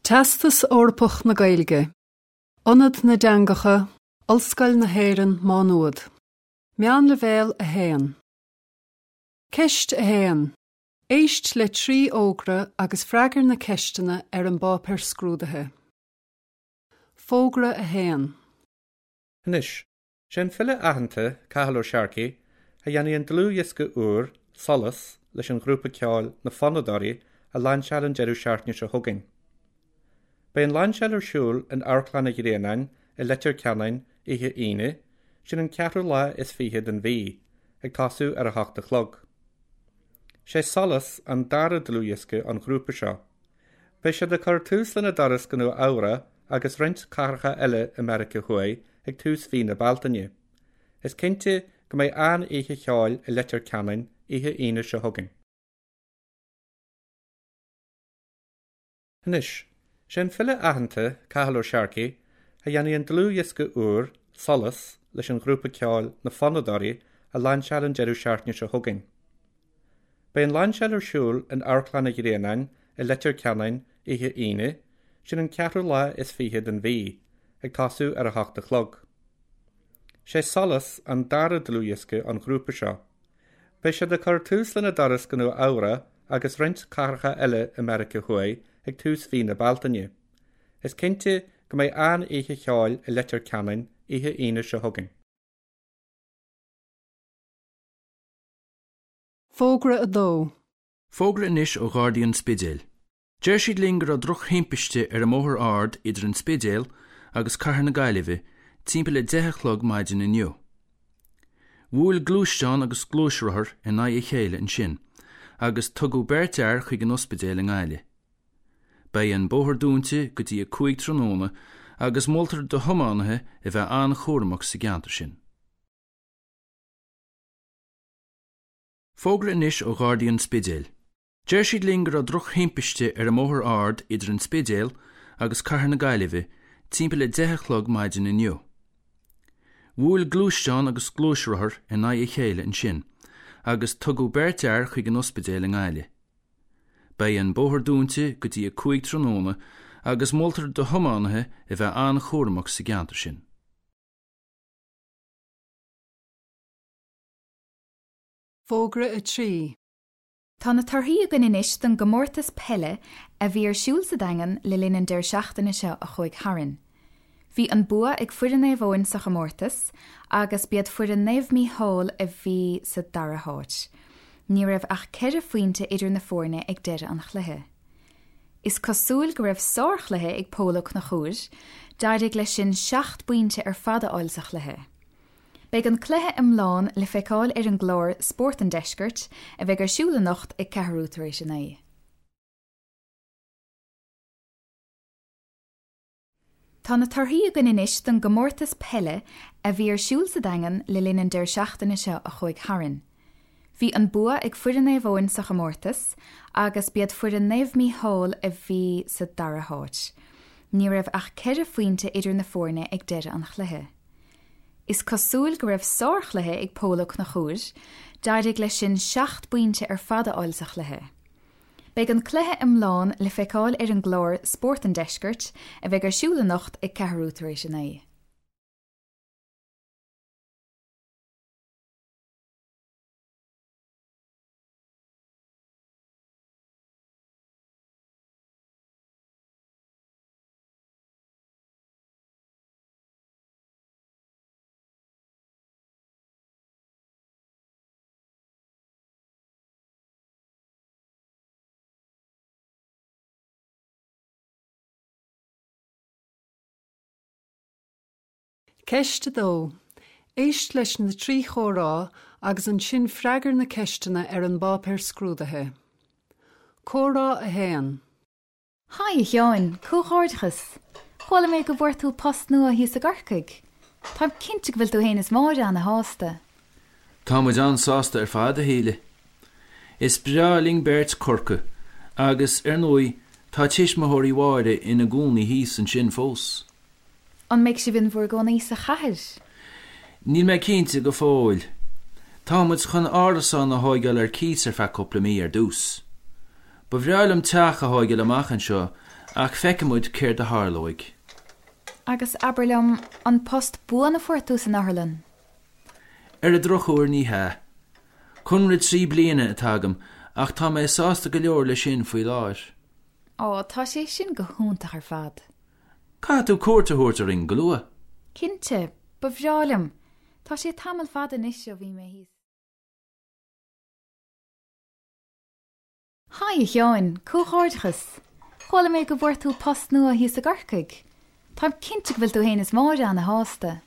Teastas Eorpach na Gaeilge, Ionad na dTeangacha, Ollscoil na hÉireann, Má Nuad. Meánleibhéal 1. Ceist 1. Éist le 3 fhógra agus freagair na ceisteanna ar an bpáipéar scrúdaithe. Fógra 1. Anois, sé an file aitheanta, Cathal Ó Searcaigh, a dhéanfaidh an dlúthdhiosca úr, Solas, leis an ghrúpa ceoil Na Fonnadóirí a lainseáil an deireadh seachtaine seo chugainn. Beidh an lainseáil ar siúl in Amharclann an Ghrianáin i Leitir Ceanainn oíche Aoine, sin an ceathrú lá is 20 den mhí, ag tosú ar a hocht a chlog. Sé Solas an dara dlúthdhiosca ón ghrúpa seo. Beidh siad ag cur tús lena dturas go Nua Eabhrac agus roinnt cathracha eile i Meiriceá Thuaidh ag tús mhí na Bealtaine. Is cinnte go mbeidh an-oíche cheoil i Leitir Ceanainn oíche Aoine seo chugainn. Anois, sé an file aitheanta, Cathal Ó Searcaigh, a dhéanfaidh an dlúthdhiosca úr, Solas, leis an ghrúpa ceoil Na Fonnadóirí a lainseáil an deireadh seachtaine seo chugainn. Beidh an lainseáil ar siúl in Amharclann an Ghrianáin i Leitir Ceanainn oíche Aoine, sin an ceathrú lá is 20 den mhí, ag tosú ar a hocht a chlog. Sé Solas an dara dlúthdhiosca ón ghrúpa seo. Beidh siad ag cur tús lena dturas go Nua Eabhrac agus roinnt cathracha eile i Meiriceá Thuaidh ag tús mhí na Bealtaine. Is cinnte go mbeidh an-oíche cheoil i Leitir Ceanainn oíche Aoine seo chugainn. Fógra 2. Fógra anois ó Ghardaí an Spidéil. Deir siad linn go raibh drochthimpiste ar an mBóthar Ard idir an Spidéal agus Cathair na Gaillimhe timpeall a 10 a chlog maidin inniu. Bhuail gluaisteán agus gluaisrothar in aghaidh a chéile ansin agus tugadh beirt fhear chuig an ospidéal i nGaillimh. Beidh an bóthar dúnta go dtí a 5 tráthnóna agus moltar do thiománaithe a bheith an-chúramach sa gceantar sin. Fógra anois ó Ghardaí an Spidéil. Deir siad linn go raibh drochthimpiste ar an mBóthar Ard idir an Spidéal agus Cathair na Gaillimhe timpeall a 10 a chlog maidin inniu. Bhuail gluaisteán agus gluaisrothar in aghaidh a chéile ansin agus tugadh beirt fhear chuig an ospidéal i nGaillimh. Beidh an bóthar dúnta go dtí a 5 tráthnóna agus moltar do thiománaithe a bheith an-chúramach sa gceantar sin. Fógra 3. Tá na torthaí againn anois don gcomórtas peile a bhí ar siúl sa Daingean le linn an deireadh seachtaine seo a chuaigh tharainn. Bhí an bua ag foireann Naomh Eoin sa chomórtas agus b'iad foireann Naomh Mícheál a bhí sa dara háit. Ní raibh ach ceithre phointe idir na foirne ag deireadh an chluiche. Is cosúil go raibh sárchluiche ag Pól Ó Conchúir, d'éirigh leis sin seacht bpointe ar fad a fháil sa chluiche. Beidh an cluiche iomlán le feiceáil ar an gclár Spórt an Deiscirt a bheidh ar siúl anocht ag ceathrú tar éis a 9. Tá na torthaí againn anois don gcomórtas peile a bhí ar siúl sa Daingean le linn an deireadh seachtaine seo a chuaigh tharainn. Bhí an bua ag foireann Naomh Eoin sa chomórtas agus b'iad foireann Naomh Mícheál a bhí sa dara háit. Ní raibh ach ceithre phointe idir na foirne ag deireadh an chluiche. Is cosúil go raibh sárchluiche ag Pól Ó Conchúir, d'éirigh leis sin seacht bpointe ar fad a fháil sa chluiche. Beidh an cluiche iomlán le feiceáil ar an gclár Spórt an Deiscirt a bheidh ar siúl anocht ag ceathrú tar éis a 9. Ceist 2. Éist leis na 3 chomhrá agus ansin freagair na ceisteanna ar an bpáipéar scrúdaithe. Comhrá 1. Haigh, a Sheáin, comhghairdeachas! Chuala mé go bhfuair tú post nua thíos i gCorcaigh. Táim cinnte go bhfuil tú fhéin is Máire ana-shásta. Tá muid an-sásta ar fad, a Shíle. Is breá linn beirt Corcaigh agus, ar ndóigh, tá tuismitheoirí Mháire ina gcónaí thíos ansin fós. An mbeidh sibh in bhur gcónaí sa chathair? Níl mé cinnte go fóill. Tá muid chun árasán a thóigeáil ar cíos ar feadh cúpla mí ar dtús. Ba bhreá liom teach a thóigeáil amach anseo. Ach feicfidh muid céard a tharlóidh. Agus abair liom, an post buan a fuair tú san otharlann? Ar an drochuair ní hea. Conradh 3 bliana atá agam ach tá mé sásta go leor leis sin faoi láthair. Ó, tá sé sin go hiontach ar fad. Caithfidh tú cuairt a thabhairt orainn go luath. Cinnte, ba bhreá liom. Tá sé tamall fada anois ó bhí mé thíos. Haigh, a Sheáin, comhghairdeachas! Chuala mé go bhfuair tú post nua thíos i gCorcaigh. Táim cinnte go bhfuil tú fhéin is Máire ana-shásta.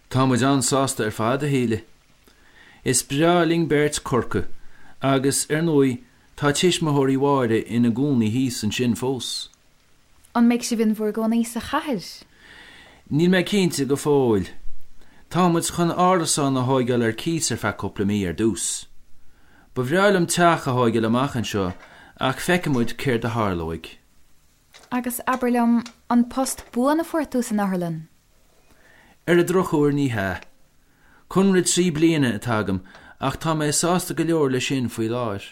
Tá muid an-sásta ar fad, a Shíle. Is breá linn beirt Corcaigh agus, ar ndóigh, tá tuismitheoirí Mháire ina gcónaí thíos ansin fós. An mbeidh sibh in bhur gcónaí sa chathair? Níl mé cinnte go fóill. Tá muid chun árasán a thóigeáil ar cíos ar feadh cúpla mí ar dtús. Ba bhreá liom teach a thóigeáil amach anseo ach feicfidh muid céard a tharlóidh. Agus abair liom, an post buan a fuair tú san otharlann? Ar an drochuair ní hea. Conradh 3 bliana atá agam ach tá mé sásta go leor leis sin faoi láthair.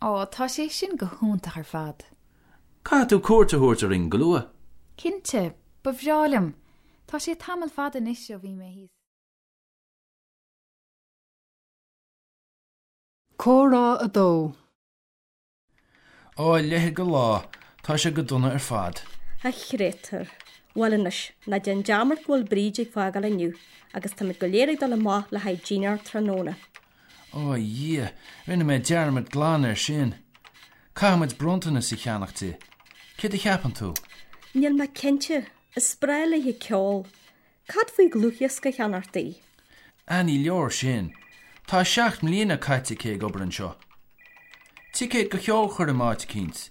Ó, tá sé sin go hiontach ar fad. Caithfidh tú cuairt a thabhairt orainn go luath. Cinnte, ba bhreá liom. Tá sé tamall fada anois ó bhí mé thíos. Comhrá 2. Ó, a leithéid de lá, tá sé go dona ar fad. A chréatúir. Bhuel anois, ná déan dearmad go bhfuil Bríd ag fágáil inniu agus táimid go léir ag dul amach le haghaidh dinnéar tráthnóna. Ó, a Dhia, rinne mé dearmad glan air sin. Caithfidh muid bronntanas a cheannach di. Céard a cheapann tú? Níl mé cinnte. Is breá léi ceol. Cad faoi dhlúthdhiosca a cheannacht di? Ah, ní leor sin. Tá 7 mbliana caite aici ag obair anseo. Ticéad go cheolchoirm áit eicínt,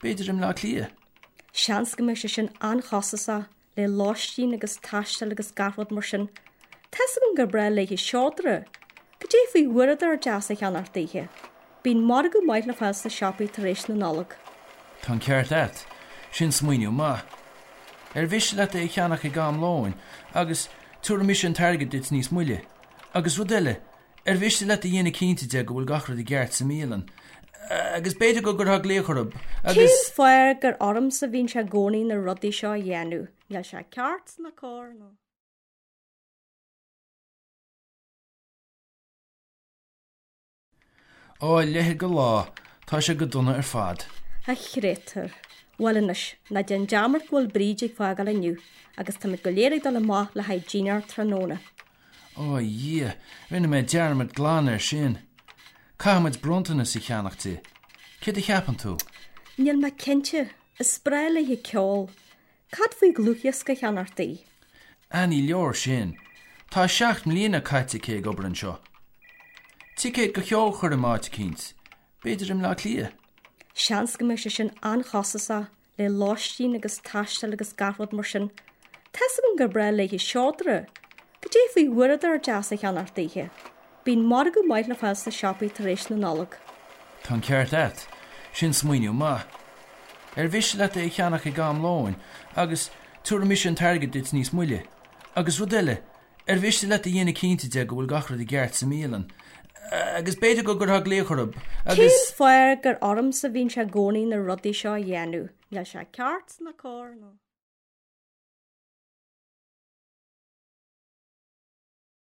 b'fhéidir i mBleá Cliath? Seans go mbeidh sé sin an-chostasach. le lóistín agus taisteal agus gach rud mar sin. Tá's agam gur breá léi seodra. Cad é faoi uaireadóir deas a cheannacht daoithe? Bíonn margadh maith le fáil sna siopaí tar éis na Nollag. Tá an ceart a't. Sin smaoineamh maith. Ar mhiste leat é a cheannach ag am lóin agus tabharfaidh mise an t-airgead duit níos moille. Agus rud eile, Ar mhiste leat a dhéanamh cinnte de go bhfuil gach rud i gceart sa mbialann? Agus b'fhéidir go gcuirfeá glaoch orthu agus. Cén fáth gur ormsa a bhíonn sé i gcónaí na rudaí seo a dhéanamh? Níl sé ceart ná cóir nó. Ó, a leithéid de lá, tá sé go dona ar fad. A chréatúir. Bhuel anois, ná déan dearmad go bhfuil Bríd ag fágáil inniu agus táimid go léir ag dul amach le haghaidh dinnéar tráthnóna. Ó, a Dhia, rinne mé dearmad glan air sin. Caithfidh muid bronntanas a cheannach di. Céard a cheapann tú? Níl mé cinnte. Is breá léi ceol. Cad faoi dhlúthdhiosca a cheannacht di? Ah, ní leor sin. Tá 7 mbliana caite aici ag obair anseo. Ticéad go cheolchoirm áit eicínt, b'fhéidir i mBleá Cliath? Seans go mbeidh sé sin an-chostasach le lóistín agus taisteal agus gach rud mar sin. Tá's agam gur breá léi seodra. Cad é faoi uaireadóir deas a cheannacht daoithe? Bíonn margadh maith le fáil sna siopaí tar éis na Nollag. Tá an ceart a't. Sin smaoineamh maith. Ar mhiste leat é a cheannach ag am lóin agus tabharfaidh mise an t-airgead duit níos moille. Agus rud eile, Ar mhiste leat a dhéanamh cinnte de go bhfuil gach rud i gceart sa mbialann? Agus b'fhéidir go gcuirfeá glaoch orthu agus. Cén fáth gur ormsa a bhíonn sé i gcónaí na rudaí seo a dhéanamh? Níl sé ceart ná cóir nó.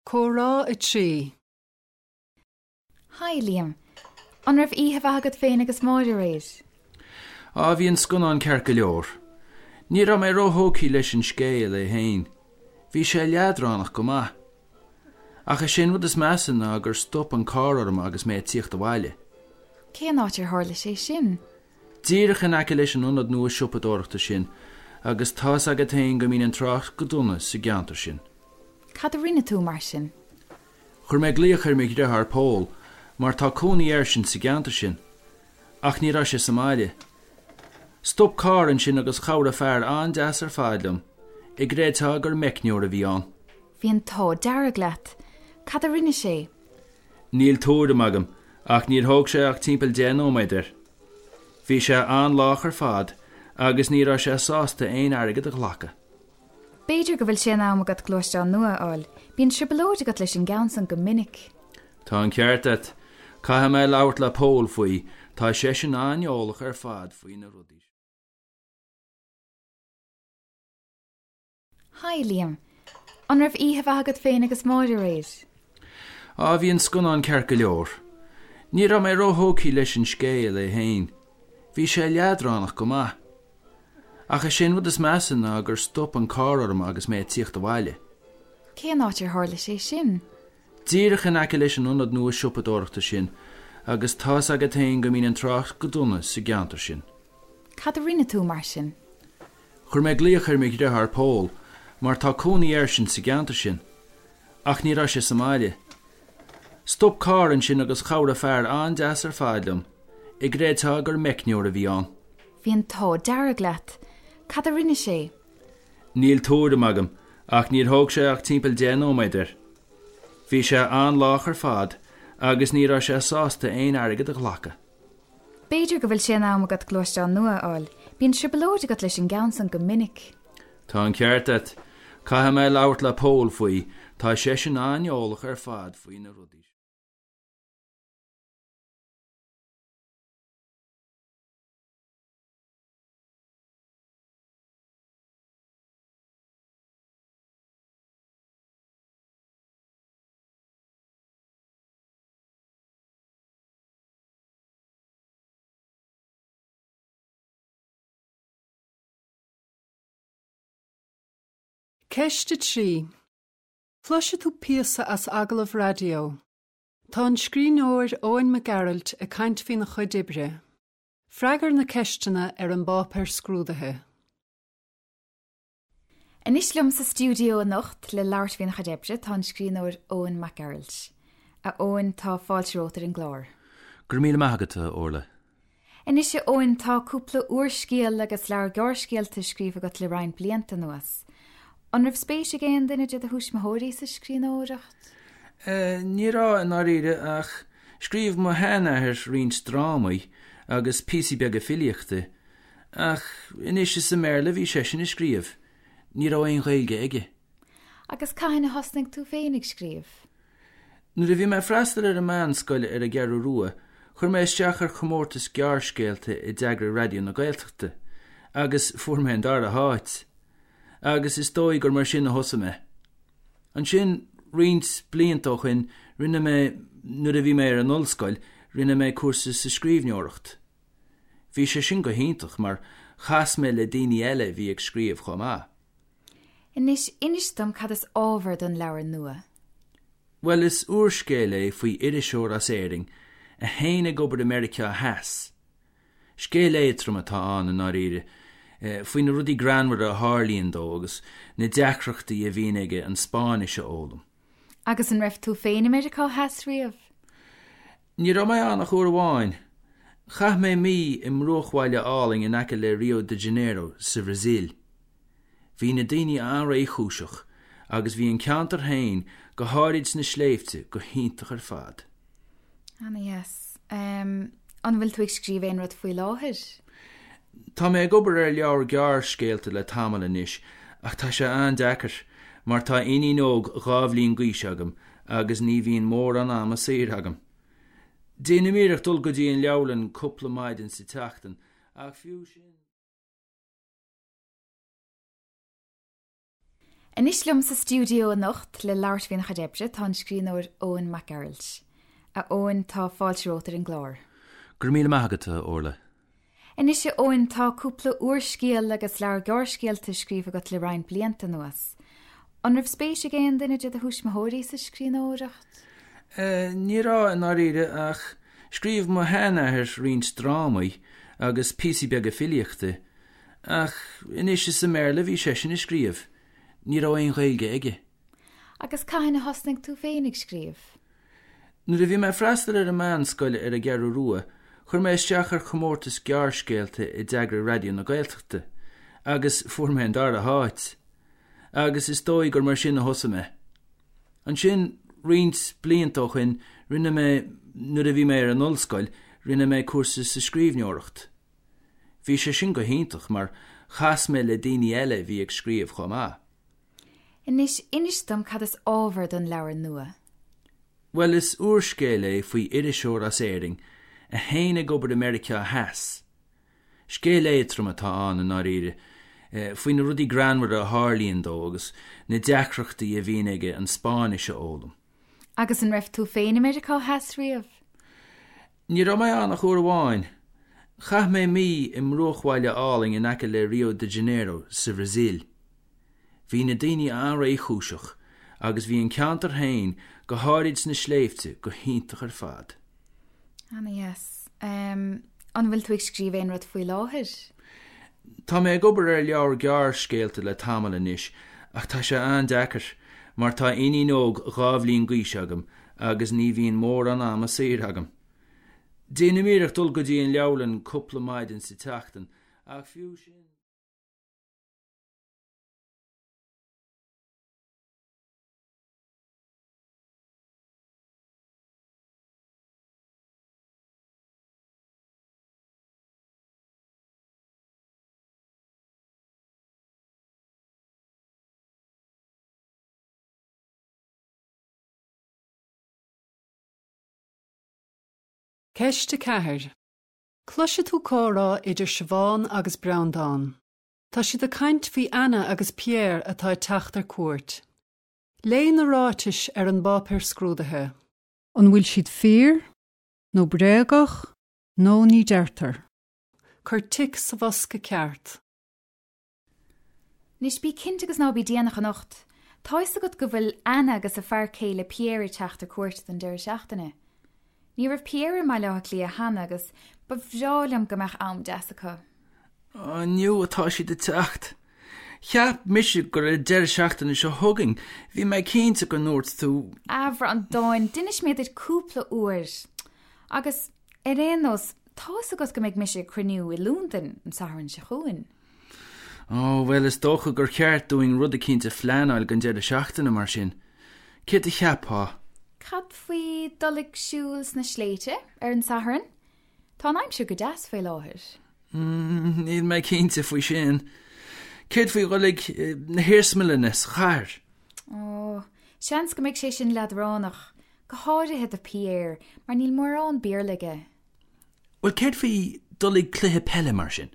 Comhrá 3. Haigh, Liam. An raibh oíche mhaith agat féin agus Máire aréir? Á, bhí an scannán ceart go leor. Ní raibh mé róthógtha leis an scéal é féin. Bhí sé leadránach go maith. Ach is é an rud is measa ná gur stop an carr orm agus mé ag tíocht abhaile. Cén áit ar tharla sé sin? Díreach in aice leis an ionad nua siopadóireachta sin agus tá's agat féin go mbíonn an trácht go dona sa gceantar sin. Cad a rinne tú mar sin? Chuir mé glaoch ar mo dhriotháir Pól mar tá cónaí airsean sa gceantar sin. Ach ní raibh sé sa mbaile. Stop carr ansin agus chabhraigh fear an-deas ar fad liom, a gcreidfeá gur meicneoir a bhí ann. Bhí an t-ádh dearg leat. Cad a rinne sé? Níl tuairim agam ach níor thóg sé ach timpeall 10 nóiméad air. Bhí sé an-lách ar fad agus ní raibh sé sásta aon airgead a ghlacadh. B'fhéidir go bhfuil sé in am agat gluaisteán nua a fháil. Bíonn trioblóid agat leis an gceann san go minic. Tá an ceart a't. Caithfidh mé labhairt le Pól faoi, tá seisean an-eolach ar fad faoi na rudaí seo. Haigh, Liam. An raibh oíche mhaith agat féin agus Máire aréir? Á, bhí an scannán ceart go leor. Ní raibh mé róthógtha leis an scéal é féin. Bhí sé leadránach go maith. Ach is é an rud is measa ná gur stop an carr orm agus mé ag tíocht abhaile. Cén áit ar tharla sé sin? Díreach in aice leis an ionad nua siopadóireachta sin agus tá's agat féin go mbíonn an trácht go dona sa gceantar sin. Cad a rinne tú mar sin? Chuir mé glaoch ar mo dhriotháir Pól mar tá cónaí airsean sa gceantar sin. Ach ní raibh sé sa mbaile. Stop carr ansin agus chabhraigh fear an-deas ar fad liom, a gcreidfeá gur meicneoir a bhí ann. Bhí an t-ádh dearg leat. Cad a rinne sé? Níl tuairim agam ach níor thóg sé ach timpeall 10 nóiméad air. Bhí sé an-lách ar fad agus ní raibh sé sásta aon airgead a ghlacadh. B'fhéidir go bhfuil sé in am agat gluaisteán nua a fháil. Bíonn trioblóid agat leis an gceann san go minic. Tá an ceart a't. Caithfidh mé labhairt le Pól faoi, tá seisean an-eolach ar fad faoi na rudaí seo. Ceist 3. Cloisfidh tú píosa as agallamh raidió. Tá an scríbhneoir Eoin Mac Gearailt ag caint faoina chuid oibre. Freagair na ceisteanna ar an bpáipéar scrúdaithe. Anois liom sa stiúideo anocht le labhairt faoina chuid oibre tá an scríbhneoir Eoin Mac Gearailt. A Eoin, tá fáilte romhat ar an gclár. Go raibh míle maith agat, a Orla. Anois a Eoin, tá cúpla úrscéal agus leabhar gearrscéalta scríofa agat le roinnt blianta anuas. An raibh spéis ag aon duine de do thuismitheoirí sa scríbhneoireacht? Ní raibh, i ndáiríre, ach scríobh mo sheanathair roinnt drámaí agus píosaí beaga filíochta. Ach anois is i mBéarla a bhí seisean ag scríobh, ní raibh aon Ghaeilge aige. Agus cathain a thosnaigh tú féin ag scríobh? Nuair a bhí mé ag freastal ar an meánscoil ar an gCeathrú Rua, chuir mé isteach ar chomórtas gearrscéalta a d'eagraigh Raidió na Gaeltachta, agus fuair mé an dara háit. Agus is dóigh gur mar sin a thosaigh mé. Ansin, roinnt blianta ó shin, rinne mé, nuair a bhí mé ar an ollscoil, rinne mé cúrsa sa scríbhneoireacht. Bhí sé sin go hiontach mar chas mé le daoine eile a bhí ag scríobh chomh maith. Anois, inis dom cad is ábhar don leabhar nua. Bhuel, is úrscéal é faoi iriseoir as Éirinn a théann ag obair i Meiriceá Theas. Scéal éadtrom atá ann, i ndáiríre, faoi na rudaí greannmhara a tharlaíonn dó agus na deacrachtaí a bhíonn aige an Spáinnis a fhoghlaim. Agus an raibh tú féin i Meiriceá Theas riamh? Ní raibh mé ann ach uair amháin. Chaith mé mí i mbruachbhaile álainn in aice le Rio de Janeiro sa Bhrasaíl. Bhí na daoine an-réchúiseach agus bhí an ceantar féin, go háirid sna sléibhte, go hiontach ar fad. Ana-dheas. An bhfuil tú ag scríobh aon rud faoi láthair? Tá mé ag obair ar leabhar gearrscéalta le tamall anois ach tá sé an-deacair mar tá iníon óg 2 bhliain d'aois agam agus ní bhíonn mórán ama saor agam. Déanaim iarracht dul go dtí an leabharlann cúpla maidin sa tseachtain, ach fiú sin. Anois liom sa stiúideo anocht le labhairt faoina chuid oibre tá an scríbhneoir Eoin Mac Gearailt. A Eoin, tá fáilte romhat ar an gclár. Go raibh míle maith agat, a Orla. Anois a Eoin, tá cúpla úrscéal agus leabhar gearrscéalta scríofa agat le roinnt blianta anuas. An raibh spéis ag aon duine de do thuismitheoirí sa scríbhneoireacht? Ní raibh, i ndáiríre, ach scríobh mo sheanathair roinnt drámaí agus píosaí beaga filíochta. Ach anois is i mBéarla a bhí seisean ag scríobh, ní raibh aon Ghaeilge aige. Agus cathain a thosnaigh tú féin ag scríobh? Nuair a bhí mé ag freastal ar an meánscoil ar an gCeathrú Rua, chuir mé isteach ar chomórtas gearrscéalta a d'eagraigh Raidió na Gaeltachta, agus fuair mé an dara háit. Agus is dóigh gur mar sin a thosaigh mé. Ansin, roinnt blianta ó shin, rinne mé, nuair a bhí mé ar an ollscoil, rinne mé cúrsa sa scríbhneoireacht. Bhí sé sin go hiontach mar chas mé le daoine eile a bhí ag scríobh chomh maith. Anois, inis dom cad is ábhar don leabhar nua. Bhuel, is úrscéal é faoi iriseoir as Éirinn a théann ag obair i Meiriceá Theas. Scéal éadtrom atá ann, i ndáiríre, Faoi na rudaí greannmhara a tharlaíonn dó agus na deacrachtaí a bhíonn aige an Spáinnis a fhoghlaim. Agus an raibh tú féin i Meiriceá Theas riamh? Ní raibh mé ann ach uair amháin. Chaith mé mí i mbruachbhaile álainn in aice le Rio de Janeiro sa Bhrasaíl. Bhí na daoine an-réchúiseach agus bhí an ceantar féin, go háirid sna sléibhte, go hiontach ar fad. Ana-dheas. An bhfuil tú ag scríobh aon rud faoi láthair? Tá mé ag obair ar leabhar gearrscéalta le tamall anois ach tá sé an-deacair mar tá iníon óg 2 bhliain d'aois agam agus ní bhíonn mórán ama saor agam. Déanaim iarracht dul go dtí an leabharlann cúpla maidin sa tseachtain ach fiú sin. Ceist 4. Cloisfidh tú comhrá idir Siobhán agus Breandán. Tá siad ag caint faoi Anna agus Pierre atá ag teacht ar cuairt. Léigh na ráitis ar an bpáipéar scrúdaithe. An bhfuil siad fíor? Nó bréagach? Nó ní deirtear? Cuir tic sa bhosca ceart. Anois bí cinnte agus ná bí déanach anocht. Tá fhios agat go bhfuil Anna agus a fear céile Pierre ag teacht ar cuairt don deireadh seachtaine. Ní raibh Pierre i mBaile Átha Cliath cheana agus ba bhreá liom go mbeadh am deas acu. Inniu atá siad ag teacht. Cheap mise gur an deireadh seachtaine seo chugainn, bhí mé cinnte go ndúirt tú. A Bhreandáin, d'inis mé duit cúpla uair. Agus, ar aon nós, tá fhios agat go mbeidh mise ag cruinniú i Londain an Satharn seo chugainn. Ó, bhuel, is dócha gur cheart dúinn rud eicínt a phleanáil don deireadh seachtaine, mar sin. Céard a cheapfá? Cad faoi dul ag siúl sna sléibhte ar an Satharn? Tá an aimsir go deas faoi láthair. Níl mé cinnte faoi sin. Céard faoi dhul ag na hiarsmalanna sa chathair? Ó, seans go mbeidh sé sin leadránach, go háirithe do Pierre, mar níl mórán Béarla aige. Bhuel, céard faoi dul ag cluiche peile mar sin?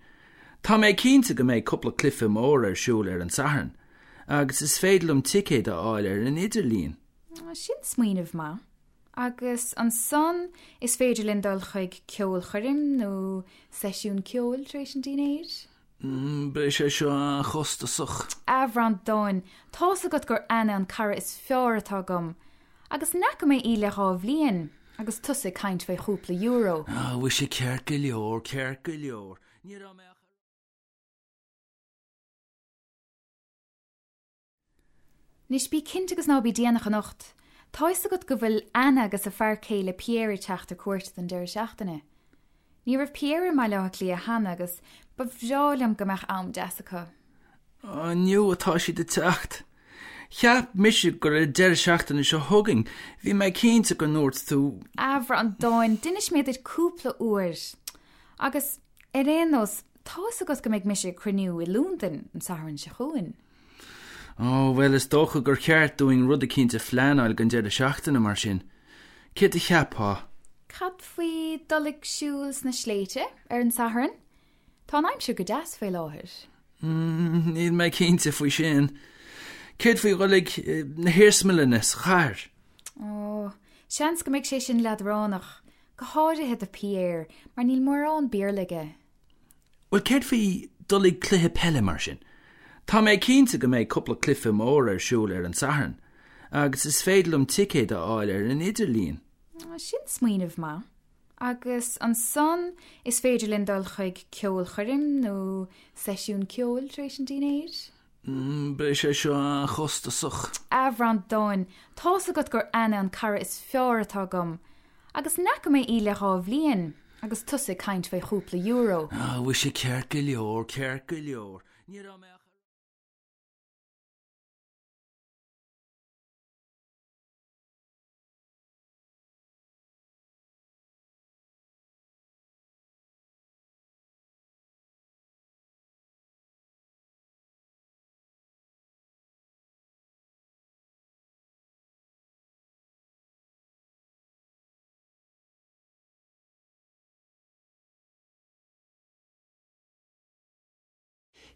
Tá mé cinnte go mbeidh cúpla cluiche mór ar siúl ar an Satharn, agus is féidir liom ticéad a fháil ar an idirlíon. Sin smaoineamh maith. Agus ansan is féidir linn dul chuig ceolchoirm nó seisiún ceoil tar éis an dinnéir. Beidh sé seo an-chostasach. A Bhreandáin, tá's agat gur Anna an cara is fearr atá agam. Agus ní fhaca mé í le 2 bhliain, agus tusa ag caint fé chúpla euro. Á, mhuise, ceart go leor, ceart go leor. Ní raibh mé ach a. Anois bí cinnte agus ná bí déanach anocht. Tá fhios agat go bhfuil Anna agus a fear céile Pierre ag teacht ar cuairt don deireadh seachtaine. Ní raibh Pierre i mBaile Átha Cliath cheana agus ba bhreá liom go mbeadh am deas acu. Inniu atá siad ag teacht. Cheap mise gur an deireadh seachtaine seo chugainn, bhí mé cinnte go ndúirt tú. A Bhreandáin, d'inis mé duit cúpla uair. Agus, ar aon nós, tá fhios agat go mbeidh mise ag cruinniú i Londain an Satharn seo chugainn. Ó, bhuel, is dócha gur cheart dúinn rud eicínt a phleanáil don deireadh seachtaine, mar sin. Céard a cheapfá? Cad faoi dul ag siúl sna sléibhte ar an Satharn? Tá an aimsir go deas faoi láthair. Níl mé cinnte faoi sin. Céard faoi dhul ag na hiarsmalanna sa chathair? Ó, seans go mbeidh sé sin leadránach, go háirithe do Pierre, mar níl mórán Béarla aige. Bhuel, céard faoi dul ag cluiche peile mar sin? Tá mé cinnte go mbeidh cúpla cluiche mór ar siúl ar an Satharn, agus is féidir liom ticéad a fháil ar an idirlíon. Sin smaoineamh maith. Agus ansan is féidir linn dul chuig ceolchoirm nó seisiún ceoil tar éis an dinnéir. Beidh sé seo an-chostasach. A Bhreandáin, tá's agat gur Anna an cara is fearr atá agam. Agus ní fhaca mé í le 2 bhliain, agus tusa ag caint fé chúpla euro. Á, mhuise, ceart go leor, ceart go leor. Ní raibh mé ach a.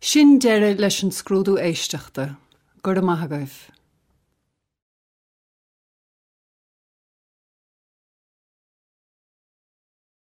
Sin deireadh leis an scrúdú éisteachta. Go raibh maith agaibh.